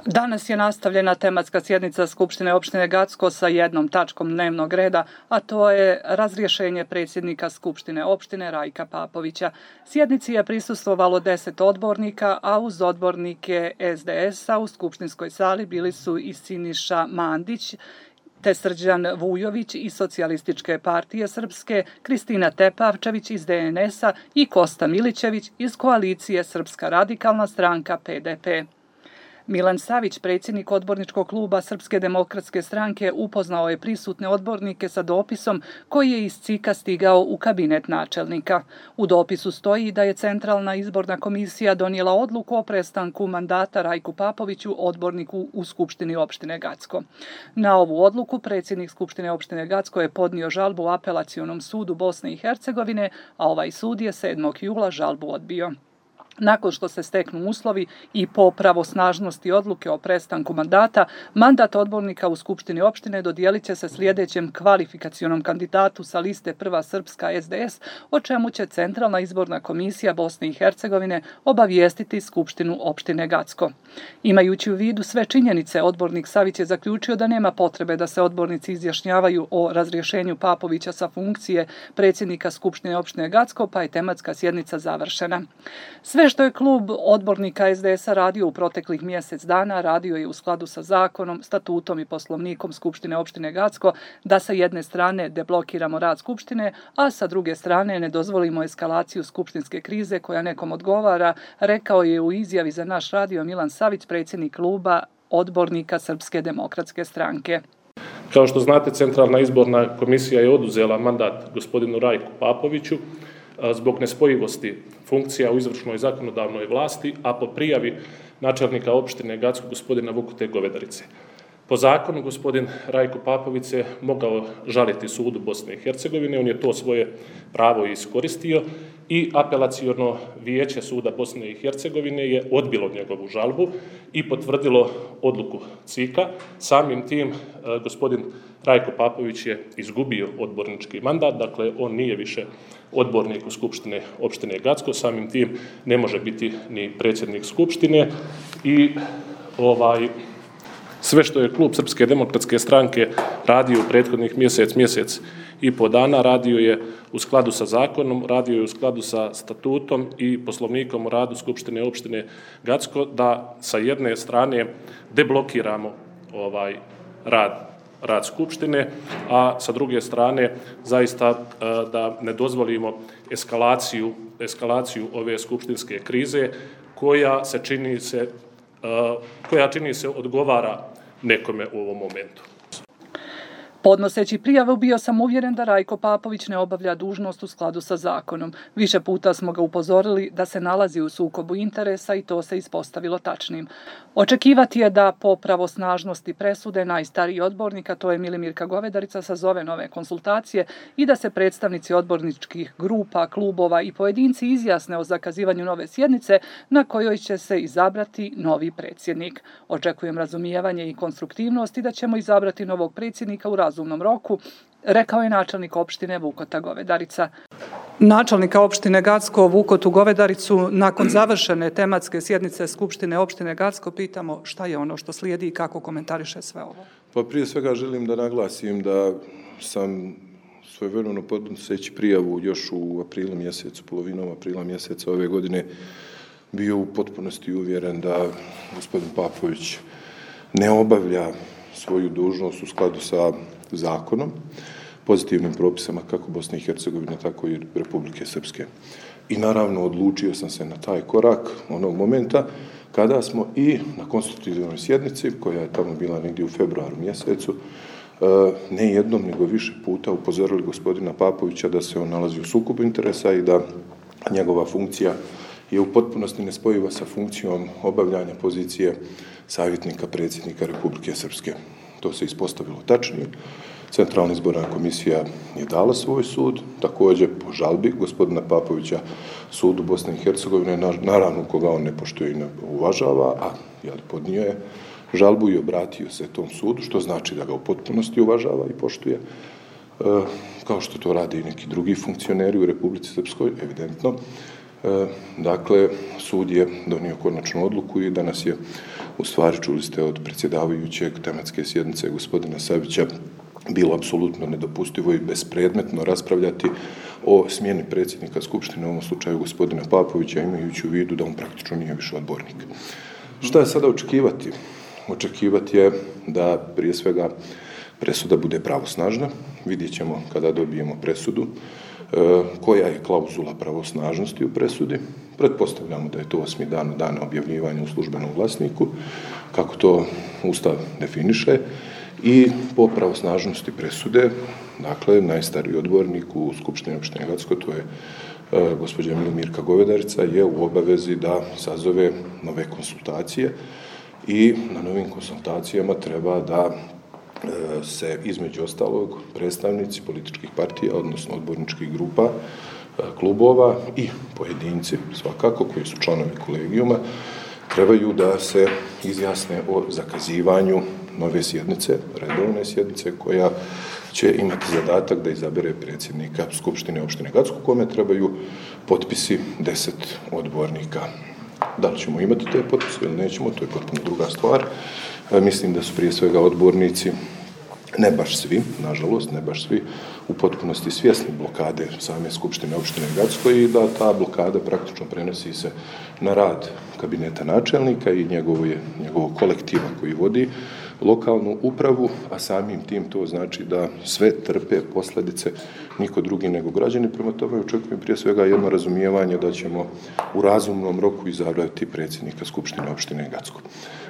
Danas je nastavljena tematska sjednica Skupštine opštine Gacko sa jednom tačkom dnevnog reda, a to je razrješenje predsjednika Skupštine opštine Rajka Papovića. Sjednici je prisustvovalo 10 odbornika, a uz odbornike SDS-a u skupštinskoj sali bili su i Siniša Mandić, te Srđan Vujović iz Socijalističke partije Srpske, Kristina Tepavčević iz DNS-a i Kosta Milićević iz koalicije Srpska radikalna stranka PDP. Milan Savić, predsjednik odborničkog kluba Srpske demokratske stranke, upoznao je prisutne odbornike sa dopisom koji je iz CIK-a stigao u kabinet načelnika. U dopisu stoji da je Centralna izborna komisija donijela odluku o prestanku mandata Rajku Papoviću, odborniku u Skupštini opštine Gacko. Na ovu odluku predsjednik Skupštine opštine Gacko je podnio žalbu u Apelacionom sudu Bosne i Hercegovine, a ovaj sud je 7. jula žalbu odbio. Nakon što se steknu uslovi i po pravosnažnosti odluke o prestanku mandata, mandat odbornika u Skupštini opštine dodijelit će se sljedećem kvalifikacionom kandidatu sa liste Prva Srpska SDS, o čemu će Centralna izborna komisija Bosne i Hercegovine obavijestiti Skupštinu opštine Gacko. Imajući u vidu sve činjenice, odbornik Savić je zaključio da nema potrebe da se odbornici izjašnjavaju o razrješenju Papovića sa funkcije predsjednika Skupštine opštine Gacko, pa je tematska sjednica završena. Sve što je klub odbornika SDS-a radio u proteklih mjesec dana, radio je u skladu sa zakonom, statutom i poslovnikom Skupštine opštine Gacko, da sa jedne strane deblokiramo rad Skupštine, a sa druge strane ne dozvolimo eskalaciju skupštinske krize koja nekom odgovara, rekao je u izjavi za naš radio Milan Savić, predsjednik kluba odbornika Srpske demokratske stranke. Kao što znate, Centralna izborna komisija je oduzela mandat gospodinu Rajku Papoviću zbog nespojivosti funkcija u izvršnoj zakonodavnoj vlasti, a po prijavi načelnika opštine Gacko gospodina Vukute Govedarice. Po zakonu gospodin Rajko Papović se mogao žaliti sudu Bosne i Hercegovine, on je to svoje pravo iskoristio i apelaciono vijeće suda Bosne i Hercegovine je odbilo njegovu žalbu i potvrdilo odluku CIK-a. Samim tim gospodin Rajko Papović je izgubio odbornički mandat, dakle on nije više odbornik u Skupštine opštine Gacko, samim tim ne može biti ni predsjednik Skupštine i sve što je klub Srpske demokratske stranke radio u prethodnih mjesec i po dana, radio je u skladu sa zakonom, radio je u skladu sa statutom i poslovnikom o radu Skupštine opštine Gacko, da sa jedne strane deblokiramo rad Skupštine, a sa druge strane zaista da ne dozvolimo eskalaciju ove skupštinske krize koja čini se odgovara nekome u ovom momentu. Podnoseći prijavu bio sam uvjeren da Rajko Papović ne obavlja dužnost u skladu sa zakonom. Više puta smo ga upozorili da se nalazi u sukobu interesa i to se ispostavilo tačnim. Očekivati je da po pravosnažnosti presude najstariji odbornik, a to je Milimirka Govedarica, sazove nove konsultacije i da se predstavnici odborničkih grupa, klubova i pojedinci izjasne o zakazivanju nove sjednice na kojoj će se izabrati novi predsjednik. Očekujem razumijevanje i konstruktivnost i da ćemo izabrati novog predsjednika u razumnom roku, rekao je načelnik opštine Vukota Govedarica. Načelnika opštine Gacko Vukotu Govedaricu nakon završene tematske sjednice Skupštine opštine Gacko pitamo šta je ono što slijedi i kako komentariše sve ovo. Pa prije svega želim da naglasim da sam svojevremeno podnoseći prijavu još u aprilu mjesecu, polovinom aprila mjeseca ove godine bio u potpunosti uvjeren da gospodin Papović ne obavlja svoju dužnost u skladu sa zakonom, pozitivnim propisama kako Bosne i Hercegovine, tako i Republike Srpske. I naravno odlučio sam se na taj korak onog momenta kada smo i na konstitutivnoj sjednici, koja je tamo bila negdje u februaru mjesecu, ne jednom nego više puta upozorili gospodina Papovića da se on nalazi u sukobu interesa i da njegova funkcija je u potpunosti nespojiva sa funkcijom obavljanja pozicije savjetnika predsjednika Republike Srpske. To se ispostavilo tačnim. Centralna izborna komisija je dala svoj sud, također po žalbi gospodina Papovića sudu Bosne i Hercegovine, naravno koga on ne poštuje i ne uvažava, a podnio je žalbu i obratio se tom sudu, što znači da ga u potpunosti uvažava i poštuje, kao što to rade i neki drugi funkcioneri u Republici Srpskoj, evidentno. Dakle, sud je donio konačnu odluku i danas je, u stvari, čuli ste od predsjedavajućeg tematske sjednice gospodina Savića, bilo apsolutno nedopustivo i bespredmetno raspravljati o smjeni predsjednika Skupštine, u ovom slučaju gospodina Papovića, imajući u vidu da on praktično nije više odbornik. Šta je sada očekivati? Očekivati je da prije svega presuda bude pravosnažna. Vidjet ćemo kada dobijemo presudu koja je klauzula pravosnažnosti u presudi. Pretpostavljamo da je to 8. dan od dana objavljivanja u službenom glasniku, kako to Ustav definiše. I po pravosnažnosti presude, dakle, najstariji odbornik u Skupštini opštine Gacko, to je gospođa Milmirka Govedarica, je u obavezi da sazove nove konsultacije i na novim konsultacijama treba da se između ostalog predstavnici političkih partija, odnosno odborničkih grupa, klubova i pojedinci svakako koji su članovi kolegijuma trebaju da se izjasne o zakazivanju nove sjednice, redovne sjednice koja će imati zadatak da izabere predsjednika Skupštine opštine Gacko, kome trebaju potpisi 10 odbornika. Da li ćemo imati te potpise ili nećemo, to je potpuno druga stvar. Mislim da su prije svega odbornici, ne baš svi, nažalost, ne baš svi, u potpunosti svjesni blokade same Skupštine opštine Gacko i da ta blokada praktično prenosi se na rad kabineta načelnika i njegovog kolektiva koji vodi lokalnu upravu, a samim tim to znači da sve trpe posljedice niko drugi nego građani. Prema tome očekujem prije svega jedno razumijevanje da ćemo u razumnom roku izabrati predsjednika Skupštine opštine Gacko.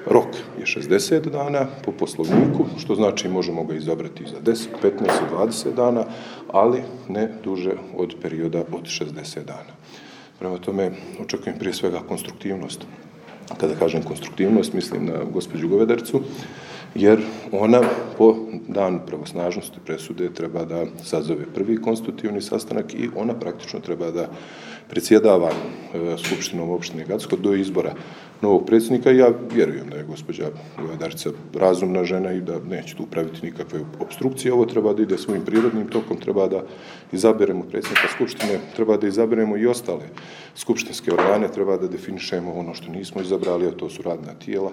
Rok je 60 dana po poslovniku, što znači možemo ga izabrati za 10, 15 i 20 dana, ali ne duže od perioda od 60 dana. Prema tome očekujem prije svega konstruktivnost. Kada kažem konstruktivnost, mislim na gospođu Govedaricu, jer ona po danu pravosnažnosti presude treba da sazove prvi konstitutivni sastanak i ona praktično treba da predsjedava Skupštinom opštine Gacko do izbora novog predsjednika. Ja vjerujem da je gospođa Govedarica razumna žena i da neće tu praviti nikakve opstrukcije. Ovo treba da ide svojim prirodnim tokom, treba da izaberemo predsjednika Skupštine, treba da izaberemo i ostale skupštinske organe, treba da definišemo ono što nismo izabrali, a to su radna tijela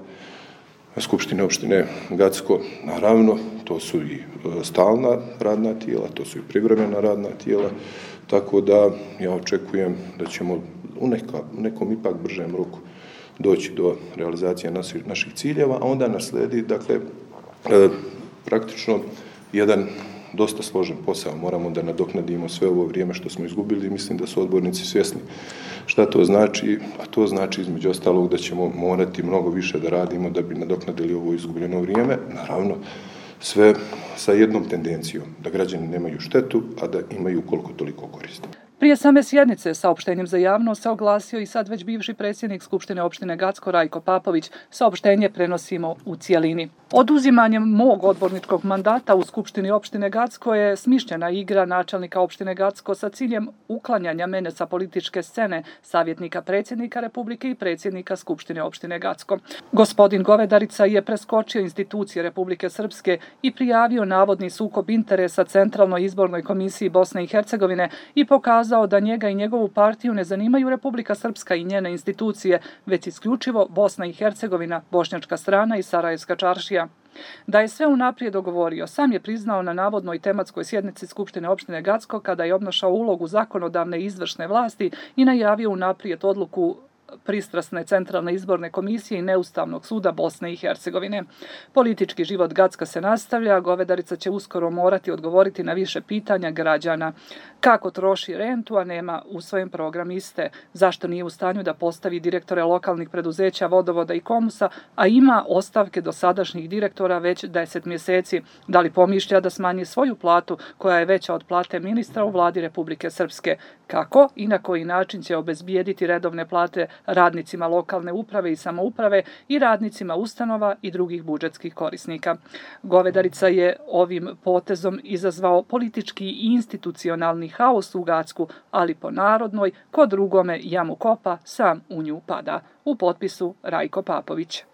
Skupštine opštine Gacko. Naravno, to su i stalna radna tijela, to su i privremena radna tijela, tako da ja očekujem da ćemo u nekom ipak bržem roku doći do realizacije naših ciljeva, a onda nas sledi, dakle, praktično jedan dosta složen posao. Moramo da nadoknadimo sve ovo vrijeme što smo izgubili i mislim da su odbornici svjesni šta to znači, a to znači između ostalog da ćemo morati mnogo više da radimo da bi nadoknadili ovo izgubljeno vrijeme, naravno sve sa jednom tendencijom, da građani nemaju štetu, a da imaju koliko toliko koristi. Prije same sjednice saopštenjem za javnost se oglasio i sad već bivši predsjednik Skupštine opštine Gacko Rajko Papović. Saopštenje prenosimo u cijelini. Oduzimanjem mog odborničkog mandata u Skupštini opštine Gacko je smišljena igra načelnika opštine Gacko sa ciljem uklanjanja mene sa političke scene, savjetnika predsjednika Republike i predsjednika Skupštine opštine Gacko. Gospodin Govedarica je preskočio institucije Republike Srpske i prijavio navodni sukob interesa Centralnoj izbornoj komisiji Bosne i Hercegovine i pokazao da njega i njegovu partiju ne zanimaju Republika Srpska i njene institucije, već isključivo Bosna i Hercegovina, bošnjačka strana i Sarajevska čaršija. Da je sve unaprijed dogovorio, sam je priznao na navodnoj tematskoj sjednici Skupštine opštine Gacko kada je obnašao ulogu zakonodavne i izvršne vlasti i najavio unaprijed odluku pristrasne Centralne izborne komisije i Neustavnog suda Bosne i Hercegovine. Politički život Gacka se nastavlja, Govedarica će uskoro morati odgovoriti na više pitanja građana. Kako troši rentu, a nema usvojen program iste? Zašto nije u stanju da postavi direktore lokalnih preduzeća, vodovoda i komusa, a ima ostavke dosadašnjih direktora već 10 mjeseci? Da li pomišlja da smanji svoju platu, koja je veća od plate ministra u vladi Republike Srpske? Kako i na koji način će obezbijediti redovne plate radnicima lokalne uprave i samouprave i radnicima ustanova i drugih budžetskih korisnika? Govedarica je ovim potezom izazvao politički i institucionalni haos u Gacku, ali po narodnoj, ko drugome jamu kopa, sam u nju pada. U potpisu Rajko Papović.